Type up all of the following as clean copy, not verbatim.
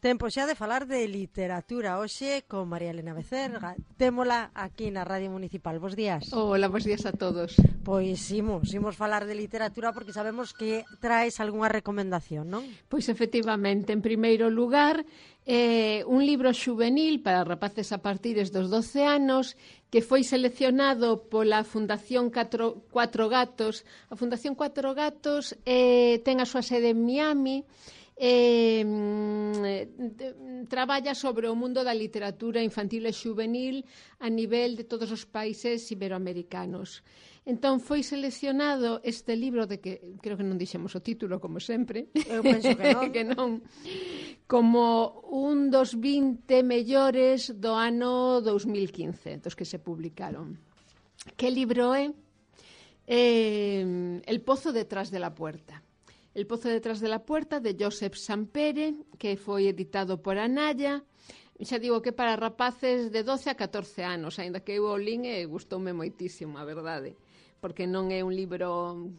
Tempo xa de falar de literatura hoxe con María Elena Becerra. Témola aquí na Radio Municipal. Bos días. Hola, bos días a todos. Pois imos falar de literatura porque sabemos que traes algunha recomendación, non? Pois efectivamente, en primeiro lugar, un libro xuvenil para rapaces a partir dos 12 anos que foi seleccionado pola Fundación Cuatro Gatos. A Fundación Cuatro Gatos ten a súa sede en Miami. Traballa sobre o mundo da literatura infantil e xuvenil a nivel de todos os países iberoamericanos. Entón foi seleccionado este libro de que creo que non dixemos o título como sempre. Eu penso que non. Que non. Como un dos 20 mellores do ano 2015, dos que se publicaron. Que libro é? El pozo detrás de la puerta. El pozo detrás de la puerta, de Josep Sampere, que foi editado por Anaya. Xa digo que para rapaces de 12 a 14 anos, aínda que eu o lín e gustoume moitísimo, a verdade, porque non é un libro...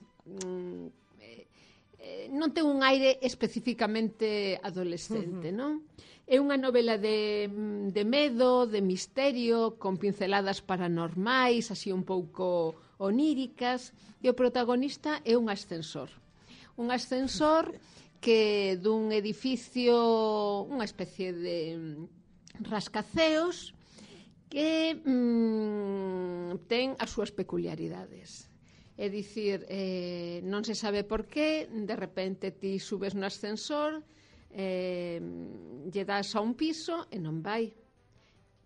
non ten un aire especificamente adolescente, non? É unha novela de medo, de misterio, con pinceladas paranormais, así un pouco oníricas, e o protagonista é un ascensor. Un ascensor que dun edificio, unha especie de rascaceos que ten as súas peculiaridades. É dicir, non se sabe por qué, de repente ti subes no ascensor, lle das a un piso e non vai.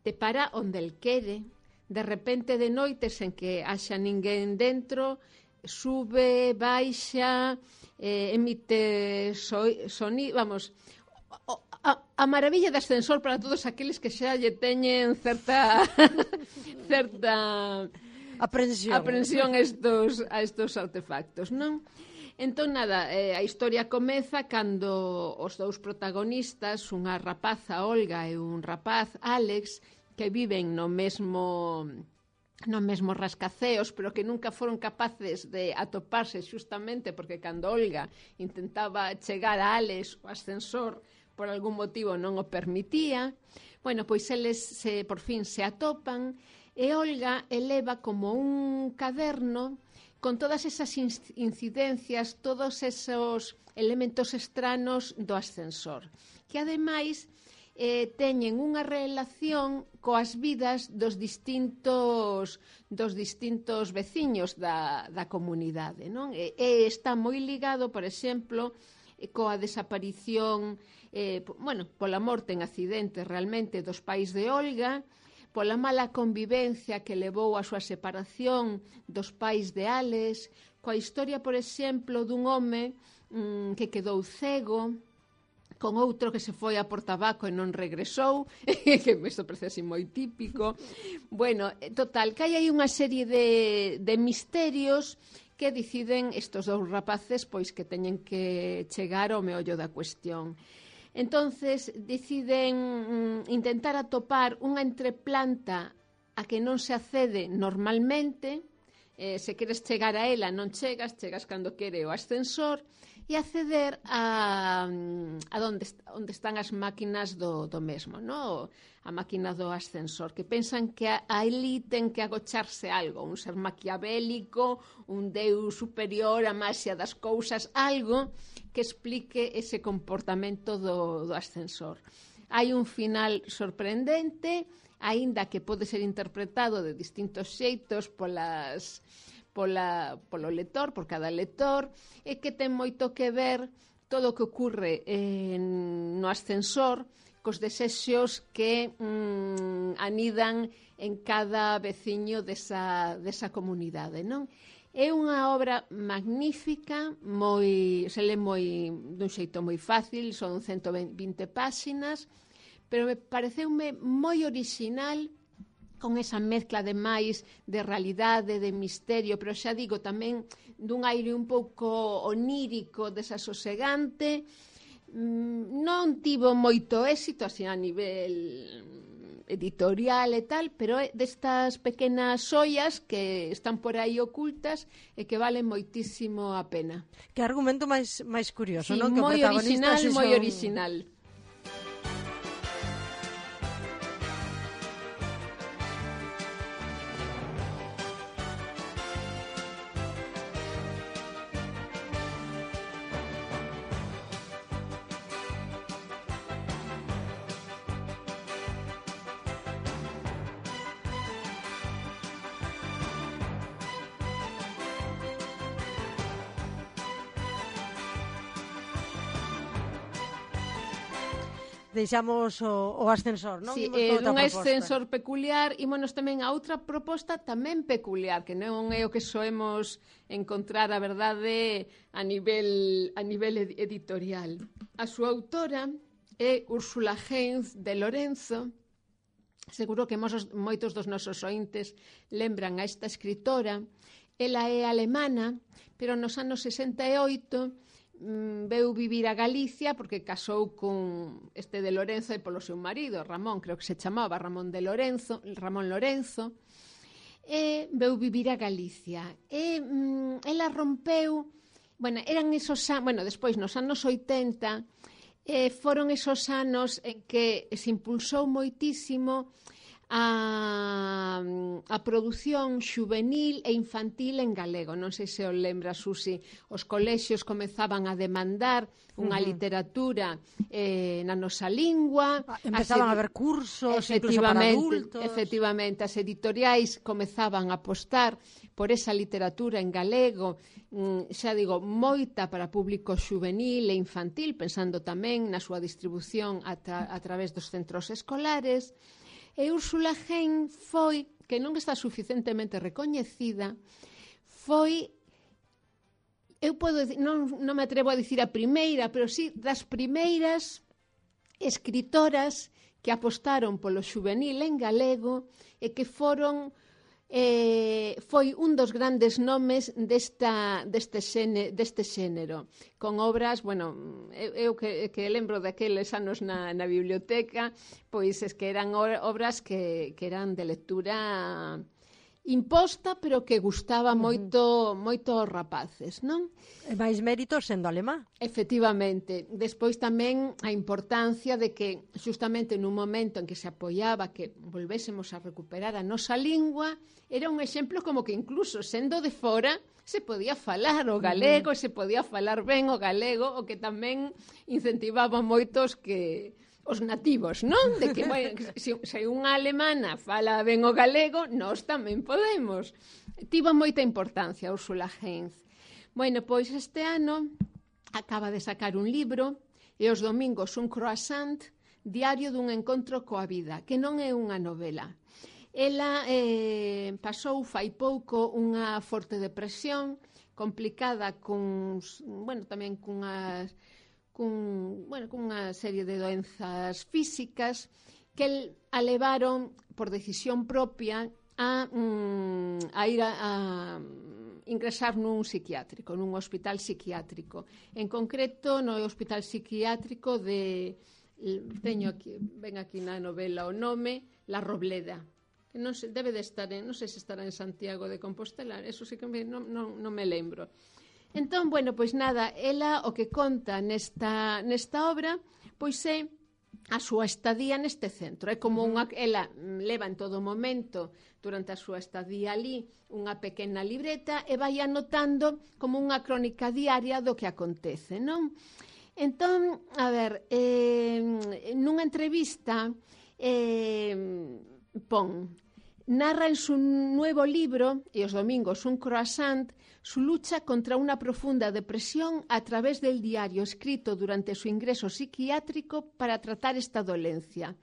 Te para onde el quere. De repente de noite, sen que haxa ninguén dentro, sube, baixa, emite sonido, vamos, a maravilla de ascensor para todos aqueles que xa lle teñen certa aprensión a estos artefactos, non? Entón, nada, a historia comeza cando os dous protagonistas, unha rapaza, Olga, e un rapaz, Alex, que viven no mesmo rascaceos, pero que nunca foron capaces de atoparse xustamente porque cando Olga intentaba chegar a Alex, o ascensor por algún motivo non o permitía. Bueno, pois eles por fin se atopan e Olga eleva como un caderno con todas esas incidencias, todos esos elementos estranos do ascensor, que ademais teñen unha relación coas vidas dos distintos veciños da comunidade, non? E está moi ligado, por exemplo, coa desaparición, pola morte en accidente realmente dos pais de Olga, pola mala convivencia que levou a súa separación dos pais de Alex, coa historia, por exemplo, dun home que quedou cego, con outro que se foi a por tabaco e non regresou, que isto parece así moi típico. Bueno, total, que hai aí unha serie de misterios que deciden estes dous rapaces pois que teñen que chegar ao meollo da cuestión. Entonces, deciden intentar atopar unha entreplanta a que non se accede normalmente. Se queres chegar a ela non chegas cando quere o ascensor, e acceder a onde están as máquinas do mesmo, no? A máquina do ascensor, que pensan que ali ten que agocharse algo, un ser maquiavélico, un deus superior, a maxia das cousas, algo que explique ese comportamento do ascensor. Hai un final sorprendente, aínda que pode ser interpretado de distintos xeitos polo lector, por cada lector, e que ten moito que ver todo o que ocurre no ascensor cos desexos que anidan en cada veciño desa comunidade, non? É unha obra magnífica, se lê dun xeito moi fácil, son 120 páxinas, pero me pareceume moi orixinal, con esa mezcla de máis de realidade, de misterio, pero xa digo tamén dun aire un pouco onírico, desasosegante. Non tivo moito éxito así a nivel editorial e tal, pero é destas pequenas xoias que están por aí ocultas e que valen moitísimo a pena. Que argumento máis curioso, sí, non? Que moi original, moi original. deixamos o ascensor, non? Si, dun ascensor peculiar, ímonos tamén a outra proposta tamén peculiar, que non é o que soemos encontrar, a verdade, a nivel editorial. A súa autora é Úrsula Heinz de Lorenzo. Seguro que moitos dos nosos ointes lembran a esta escritora. Ela é alemana, pero nos anos 68 veu vivir a Galicia porque casou con este de Lorenzo e polo seu marido, Ramón, creo que se chamaba Ramón Lorenzo, e veu vivir a Galicia. E ela rompeu, despois nos anos 80, foron esos anos en que se impulsou moitísimo a produción xuvenil e infantil en galego. Non sei se o lembra, Susi, os colexios comezaban a demandar unha literatura na nosa lingua. Empezaban a haber cursos, incluso para adultos. Efectivamente, as editoriais comezaban a apostar por esa literatura en galego, xa digo, moita para público xuvenil e infantil, pensando tamén na súa distribución a través dos centros escolares. E Úrsula Heinz foi, que non está suficientemente recoñecida, foi, eu podo dicir, non me atrevo a dicir a primeira, pero sí das primeiras escritoras que apostaron polo xuvenil en galego e que foron foi un dos grandes nomes deste xénero, con obras, eu que lembro daqueles anos na biblioteca, pois es que eran obras que eran de lectura imposta, pero que gustaba moito aos rapaces, non? E máis mérito sendo alemá. Efectivamente. Despois tamén a importancia de que, justamente nun momento en que se apoiaba que volvésemos a recuperar a nosa lingua, era un exemplo como que incluso sendo de fora se podía falar o galego, se podía falar ben o galego, o que tamén incentivaba moitos que os nativos, non? De que, se unha alemana fala ben o galego, nós tamén podemos. Tivo moita importancia Úrsula Heinz. Pois este ano acaba de sacar un libro, e os domingos un croissant, diario dun encontro coa vida, que non é unha novela. Ela pasou fai pouco unha forte depresión, complicada tamén cunha serie de doenzas físicas que a levaron por decisión propia a ir a ingresar nun psiquiátrico, nun hospital psiquiátrico. En concreto, no hospital psiquiátrico ven aquí na novela o nome, La Robleda, que non sei se estará en Santiago de Compostela, eso sí que non me lembro. Entón, pois nada, ela o que conta nesta obra, pois é a súa estadía neste centro. É como ela leva en todo momento, durante a súa estadía ali, unha pequena libreta e vai anotando como unha crónica diaria do que acontece, non? Entón, a ver, nunha entrevista narra en su nuevo libro, y los domingos un croissant, su lucha contra una profunda depresión a través del diario escrito durante su ingreso psiquiátrico para tratar esta dolencia.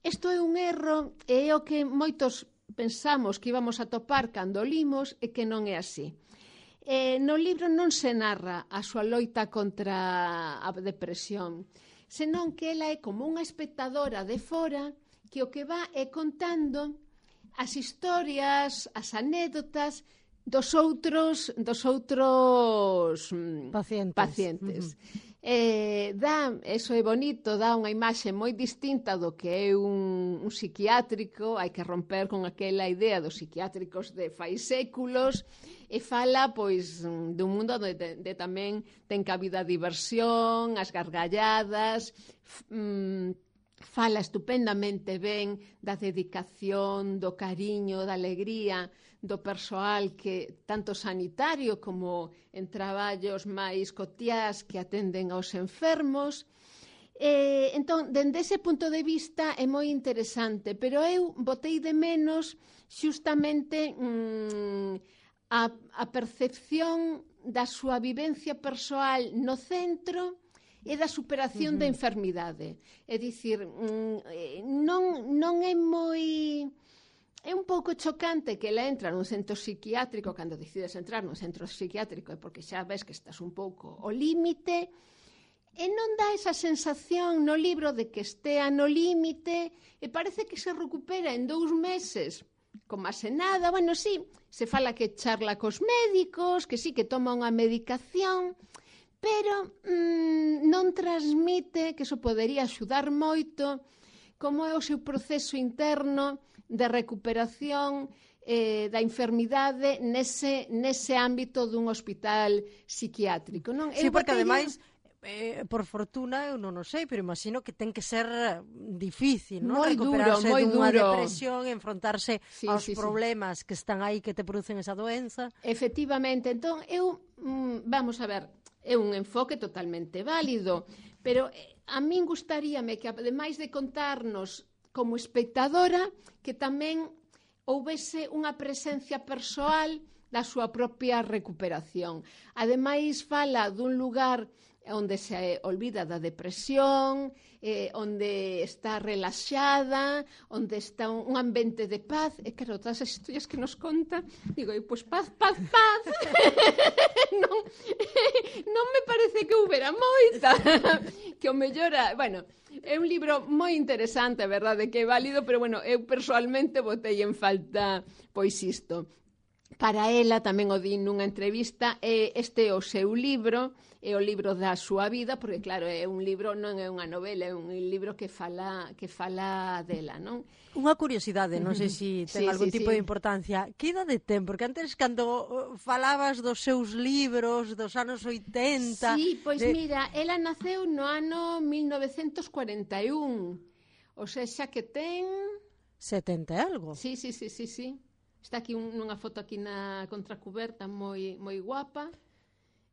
Isto é un erro e é o que moitos pensamos que íbamos a topar cando limos e que non é así. No libro non se narra a súa loita contra a depresión, senón que ela é como unha espectadora de fora que o que va é contando as historias, as anécdotas dos outros pacientes. Eso é bonito, dá unha imaxe moi distinta do que é un psiquiátrico. Hai que romper con aquela idea dos psiquiátricos de fai séculos e fala pois dun mundo onde tamén ten cabida a diversión, as gargalladas, fala estupendamente ben da dedicación, do cariño, da alegría do persoal que tanto sanitario como en traballos máis cotiás que atenden aos enfermos. Entón, dende ese punto de vista é moi interesante, pero eu botei de menos xustamente a percepción da súa vivencia persoal no centro e da superación da enfermidade. É dicir, non é moi... É un pouco chocante que ela entra nun centro psiquiátrico, cando decides entrar nun centro psiquiátrico é porque xa ves que estás un pouco ao límite, e non dá esa sensación no libro de que estea no límite, e parece que se recupera en 2 meses, como se nada. Bueno, sí, se fala que charla cos médicos, que sí, que toma unha medicación, pero non transmite, que iso podería axudar moito, como é o seu proceso interno de recuperación da enfermidade nese ámbito dun hospital psiquiátrico, non? Sí, porque ademais, por fortuna, eu non o sei, pero imagino que ten que ser difícil, non? Recuperarse dunha depresión, enfrontarse aos problemas que están aí, que te producen esa doenza. Efectivamente, entón, vamos a ver, é un enfoque totalmente válido, pero a min gustaríame que, ademais de contarnos como espectadora, que tamén houvese unha presencia persoal da súa propia recuperación. Ademais, fala dun lugar onde se olvida da depresión, onde está relaxada, onde está un ambiente de paz. E claro, todas as historias que nos conta, digo, pois paz, paz, paz. non me parece que houbera moita. Que o mellora, bueno, é un libro moi interesante, a verdade, que é válido, pero bueno, eu persoalmente botei en falta pois isto. Para ela, tamén o di nunha entrevista, este é o seu libro, é o libro da súa vida, porque claro, é un libro, non é unha novela, é un libro que fala dela, non? Unha curiosidade, non sei se ten algún tipo de importancia. Que idade ten? Porque antes, cando falabas dos seus libros dos anos 80... Sí, pois mira, ela naceu no ano 1941, o sea que ten... 70 e algo? Sí. Está aquí nunha foto aquí na contracuberta moi guapa.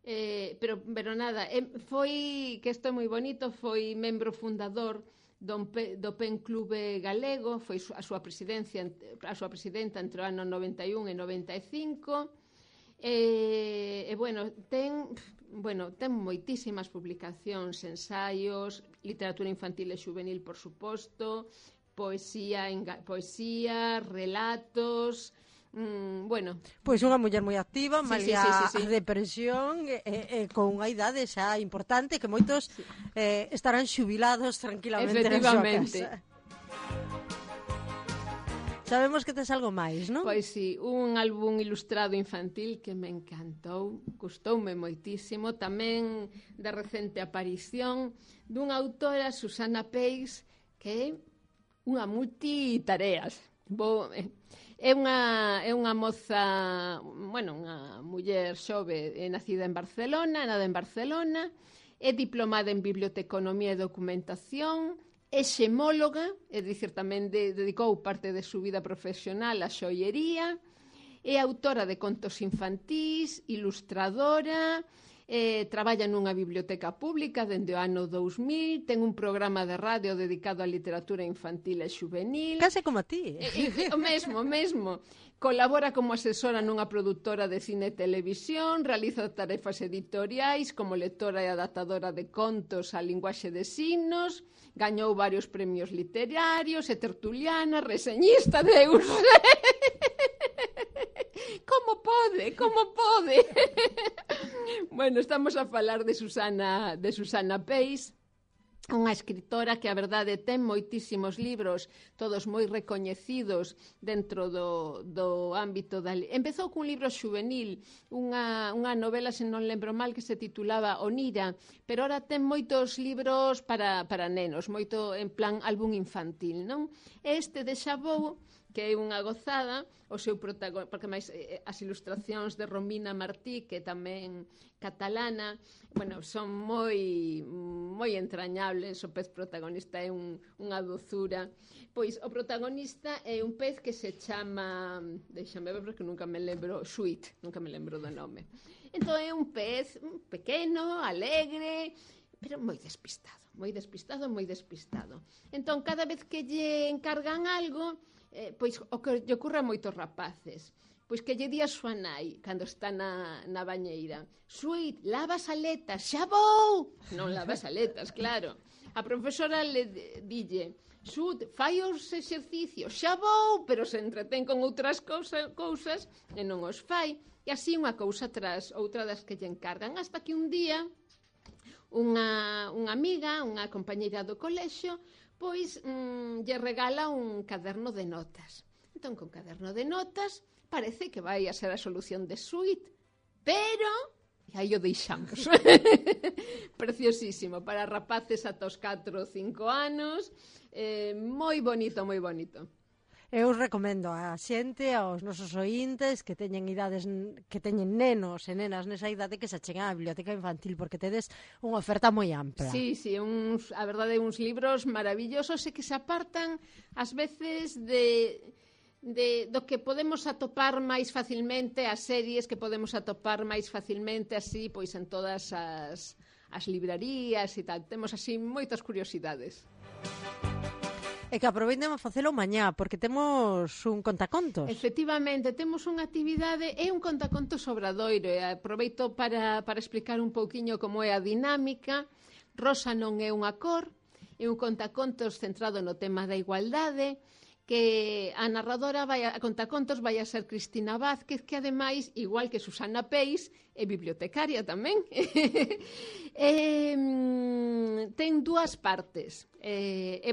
Pero nada, foi, que isto é moi bonito, foi membro fundador do PEN Clube Galego, foi a súa presidenta entre o ano 91 e 95, ten moitísimas publicacións, ensaios, literatura infantil e juvenil, por suposto, poesía, relatos... Pois unha muller moi activa, malia a depresión, con unha idade xa importante, que moitos estarán xubilados tranquilamente na súa casa. Sabemos que tes algo máis, non? Pois sí, un álbum ilustrado infantil que me encantou, gustoume moitísimo, tamén da recente aparición dunha autora, Susana Peix, que é unha multitareas. É unha moza, unha muller xove nacida en Barcelona, nada en Barcelona, é diplomada en biblioteconomía e documentación, é xemóloga, é dicir, tamén dedicou parte de súa vida profesional á xoiería, é autora de contos infantís, ilustradora, traballa nunha biblioteca pública dende o ano 2000, ten un programa de radio dedicado á literatura infantil e juvenil. Case como a ti. O mesmo. Colabora como asesora nunha produtora de cine e televisión, realiza tarefas editoriais como lectora e adaptadora de contos á linguaxe de signos, gañou varios premios literarios, é tertuliana, reseñista de Como pode? Bueno, estamos a falar de Susana Peix, unha escritora que a verdade ten moitísimos libros, todos moi recoñecidos dentro do ámbito da... Empezou cun libro xuvenil, unha novela, se non lembro mal, que se titulaba Onira, pero ora ten moitos libros para nenos, moito en plan álbum infantil, non? Este de Xabou, que é unha gozada, o seu protagonista, porque máis as ilustracións de Romina Martí, que tamén catalana, son moi entrañables. O pez protagonista é unha dozura. Pois o protagonista é un pez que se chama, deixame ver porque nunca me lembro, Sweet, nunca me lembro do nome. Entón é un pez pequeno, alegre, pero moi despistado. Entón, cada vez que lle encargan algo, pois o que lle ocurre a moitos rapaces, pois que lle di a súa nai, cando está na bañeira: Sweet, lava as aletas, xa vou! Non lava as aletas, claro. A profesora le dille: Sweet, fai os exercicios, xa vou! Pero se entretén con outras cousas e non os fai. E así unha cousa tras outra das que lle encargan, hasta que un día unha amiga, unha compañeira do colexio, pois lle regala un caderno de notas. Entón, con caderno de notas, parece que vai a ser a solución de Sweet, pero e aí o deixamos. Preciosísimo, para rapaces ata os 4 ou 5 anos, moi bonito, moi bonito. Eu recomendo a xente, aos nosos oíntes que teñen idades, que teñen nenos e nenas nesa idade, que se acheguen á biblioteca infantil, porque tedes unha oferta moi ampla. Sí, a verdade, uns libros maravillosos e que se apartan ás veces do que podemos atopar máis facilmente, as series que podemos atopar máis facilmente así, pois en todas as librarías e tal. Temos así moitas curiosidades. E que aproveiten a facelo mañá, porque temos un contacontos. Efectivamente, temos unha actividade e un contacontos obradoiro, e aproveito para explicar un pouquiño como é a dinámica. Rosa non é unha cor, é un contacontos centrado no tema da igualdade, que a narradora a contacontos vai a ser Cristina Vázquez, que ademais, igual que Susana Peis, é bibliotecaria tamén. Ten dúas partes.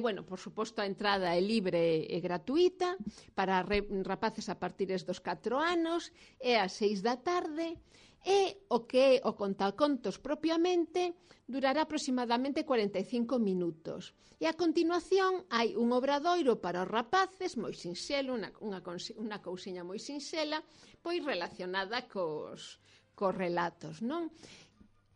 Bueno, por suposto, a entrada é libre e gratuita para rapaces a partir dos 4 anos, é ás 6 da tarde, e o que é o contacontos propiamente durará aproximadamente 45 minutos. E a continuación hai un obradoiro para os rapaces, moi sinxelo, unha cousiña moi sinxela, pois relacionada cos relatos, non?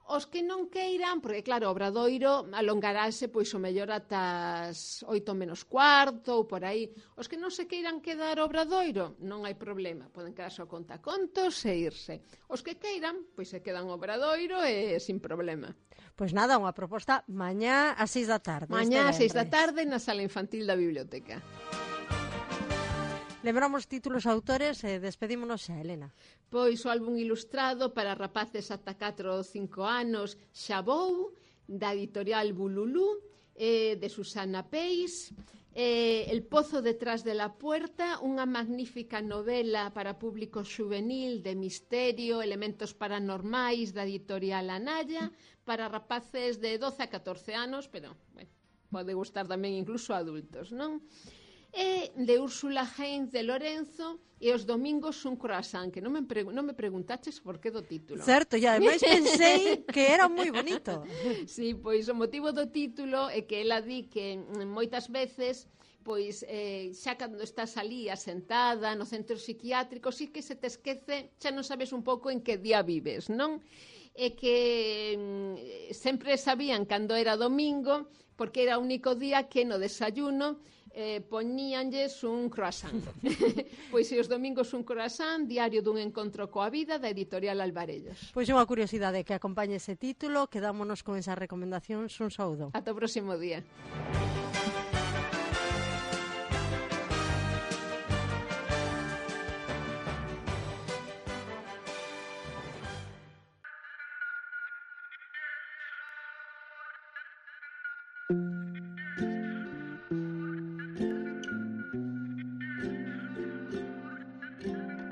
Os que non queiran, porque claro, o obradoiro alongarase pois o mellor ata as 8 menos cuarto ou por aí. Os que non se queiran quedar ao obradoiro, non hai problema, poden quedarse ao contacontos e irse. Os que queiran, pois se quedan ao obradoiro e sin problema. Pois nada, unha proposta mañá ás 6 da tarde. Mañá ás 6 da tarde na sala infantil da biblioteca. Lembramos títulos autores e despedímonos xa, Elena. Pois o álbum ilustrado para rapaces ata 4 ou 5 anos, Xa vou, da editorial Bululú, de Susana Peis, El pozo detrás de la puerta, unha magnífica novela para público xuvenil de misterio, elementos paranormais da editorial Anaya, para rapaces de 12 a 14 anos, pero bueno, pode gustar tamén incluso a adultos, non? E de Úrsula Heinz de Lorenzo, e os domingos un croissant, que non me preguntaches por que do título. Certo, e ademais pensei que era moi bonito. Sí, pois o motivo do título é que ela di que moitas veces pois xa cando estás ali asentada no centro psiquiátrico, sí que se te esquece, xa non sabes un pouco en que día vives, non? E que sempre sabían cando era domingo, porque era o único día que no desayuno poñíanlles un croissant. Pois se os domingos un croissant, diario dun encontro coa vida, da editorial Alvarellos. Pois unha curiosidade que acompañe ese título, quedámonos con esas recomendacións, un saúdo. Ata o próximo día.